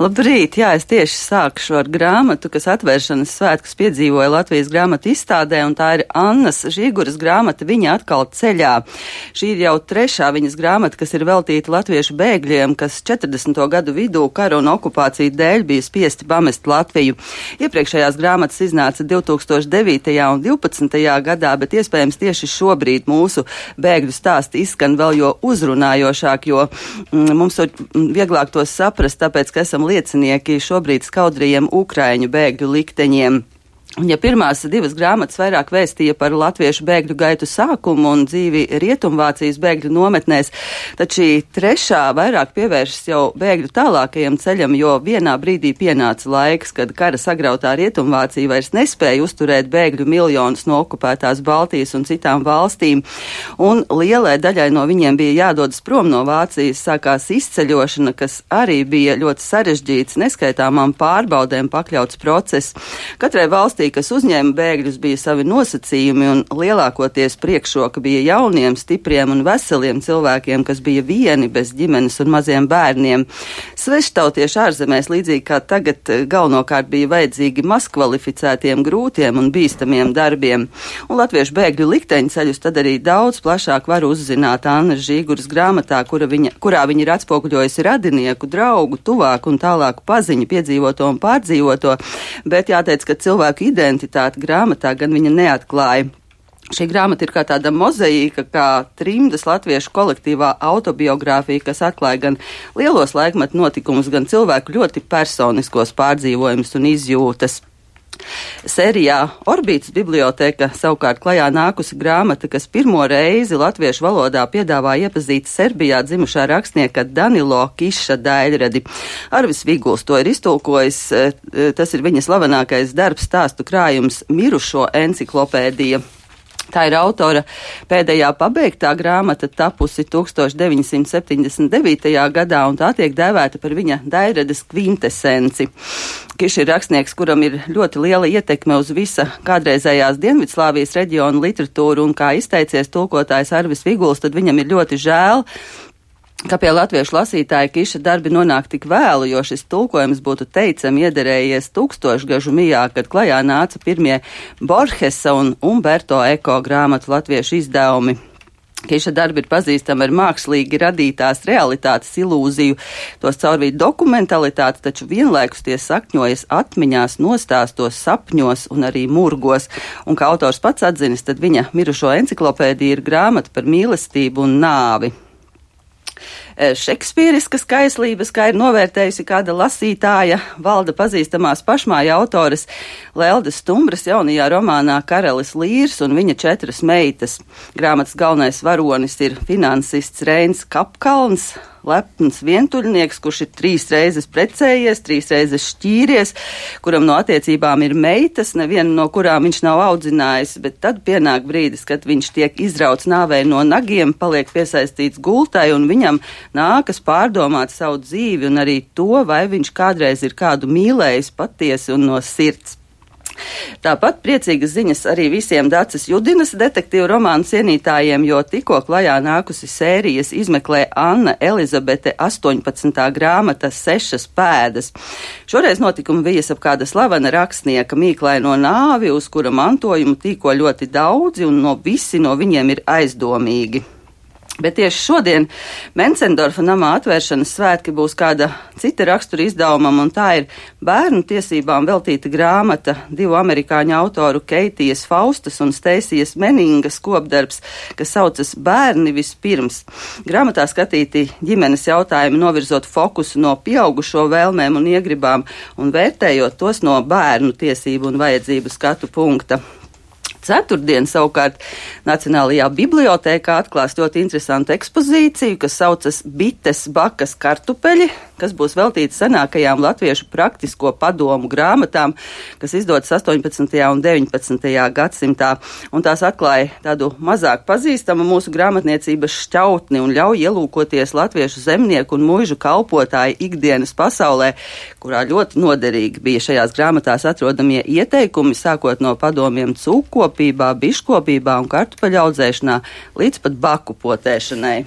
Labrīt! Jā, es tieši sākšu ar grāmatu, kas atvēršanas svētkus piedzīvoja Latvijas grāmatu izstādē, un tā ir Annas Žiguras grāmata Viņa atkal ceļā. Šī ir jau trešā viņas grāmata, kas ir veltīta latviešu bēgļiem, kas 40. gadu vidū kara un okupāciju dēļ bija spiesti pamest Latviju. Iepriekšējās grāmatas iznāca 2009. un 2012. gadā, bet iespējams tieši šobrīd mūsu bēgļu stāsti izskan vēl jo uzrunājošāk, jo mums ir vieglāk tos saprast, tāpēc, ka esam liecinieki šobrīd skaudrajiem ukraiņu bēgļu likteņiem. Un ja pirmās divas grāmatas vairāk vēstīja par latviešu bēgļu gaitu sākumu un dzīvi Rietumvācijas bēgļu nometnēs, tad šī trešā vairāk pievēršas jau bēgļu tālākajam ceļam, jo vienā brīdī pienāca laiks, kad kara sagrautā Rietumvācija vairs nespēja uzturēt bēgļu miljonus no okupētās Baltijas un citām valstīm, un lielai daļai no viņiem bija jādodas prom no Vācijas, sākās izceļošana, kas arī bija ļoti sarežģīts, neskaitāmām pārbaudēm pakļauts process. Katrai valstī, kas uzņēma bēgļus, bija savi nosacījumi, un lielākoties priekšroka bija jauniem, stipriem un veseliem cilvēkiem, kas bija vieni bez ģimenes un maziem bērniem. Sveštautieši ārzemēs, līdzīgi kā tagad, galvenokārt bija vajadzīgi mazkvalificētiem, grūtiem un bīstamiem darbiem. Un latviešu bēgļu likteņu ceļus tad arī daudz plašāk var uzzināt Annas Žiguras grāmatā, kurā viņa ir atspoguļojusi radinieku, draugu, tuvāku un tālāku paziņu, piedzīvoto un pārdzīvoto, bet jāteic, ka cilvēku identitāti grāmatā gan viņa neatklāja. Šī grāmata ir kā tāda mozaīka, kā trimdas latviešu kolektīvā autobiogrāfija, kas atklāja gan lielos laikmetu notikumus, gan cilvēku ļoti personiskos pārdzīvojumus un izjūtas. Sērijā Orbītas biblioteka savukārt klajā nākusi grāmata, kas pirmo reizi latviešu valodā piedāvā iepazīt Serbijā dzimušā rakstnieka Danilo Kiša daļradi. Arvis Viguls to ir iztulkojis, tas ir viņa slavenākais darbs, stāstu krājums Mirušo enciklopēdija. Tā ir autora pēdējā pabeigtā grāmata, tapusi 1979. gadā, un tā tiek dēvēta par viņa daļradas kvintesenci. Kiš ir rakstnieks, kuram ir ļoti liela ietekme uz visa kādreizējās Dienvidslāvijas reģiona literatūru, un kā izteicies tulkotājs Arvis Viguls, tad viņam ir ļoti žēl, ka pie latviešu lasītāja Kiša darbi nonāk tik vēlu, jo šis tulkojums būtu teicami iederējies tūkstošgažu mijā, kad klajā nāca pirmie Borgesa un Umberto Eko grāmatu latviešu izdevumi. Kiša darbi ir pazīstami ar mākslīgi radītās realitātes ilūziju, tos caurvīt dokumentalitāti, taču vienlaikus tie sakņojas atmiņās, nostāstos, sapņos un arī murgos. Un kā autors pats atzinis, tad viņa Mirušo enciklopēdija ir grāmata par mīlestību un nāvi. Šekspīriskas kaislības, kā ir novērtējusi kāda lasītāja, valda pazīstamās pašmāja autores Leldes Stumbras jaunajā romānā Karalis Līrs un viņa 4 meitas. Grāmatas galvenais varonis ir finansists Reins Kapkalns, lepns vientuļnieks, kurš ir 3 reizes precējies, 3 reizes šķīries, kuram no attiecībām ir meitas, nevienu no kurām viņš nav audzinājis, bet tad pienāk brīdis, kad viņš tiek izrauts nāvei no nagiem, paliek piesaistīts gultai, un viņam nākas pārdomāt savu dzīvi un arī to, vai viņš kādreiz ir kādu mīlējis patiesi un no sirds. Tāpat priecīgas ziņas arī visiem Daces Judinas detektīvu romānu cienītājiem, jo tikko klajā nākusi sērijas izmeklē Anna Elizabete 18. grāmata 6 pēdas. Šoreiz notikumi vijas ap kāda slavena rakstnieka mīklaino nāvi, uz kura mantojumu tīko ļoti daudzi, un visi no viņiem ir aizdomīgi. Bet tieši šodien Mencendorfa namā atvēršanas svētki būs kāda cita rakstura izdevumam, un tā ir bērnu tiesībām veltīta grāmata 2 amerikāņu autoru Keitijas Faustas un Steisijas Meningas kopdarbs, kas saucas Bērni vispirms. Grāmatā skatīti ģimenes jautājumi, novirzot fokusu no pieaugušo vēlmēm un iegribām un vērtējot tos no bērnu tiesību un vajadzību skatu punkta. Ceturtdien savukārt Nacionālajā bibliotēkā atklās ļoti interesantu ekspozīciju, kas saucas Bites, bakas, kartupeļi, kas būs veltīta senākajām latviešu praktisko padomu grāmatām, kas izdotas 18. un 19. gadsimtā, un tās atklāja tādu mazāk pazīstamu mūsu grāmatniecības šķautni un ļauj ielūkoties latviešu zemnieku un muižu kalpotāju ikdienas pasaulē, kurā ļoti noderīgi bija šajās grāmatās atrodamie ieteikumi, sākot no padomiem cūkopībā, biškopībā un kartupeļu audzēšanā līdz pat baku potēšanai.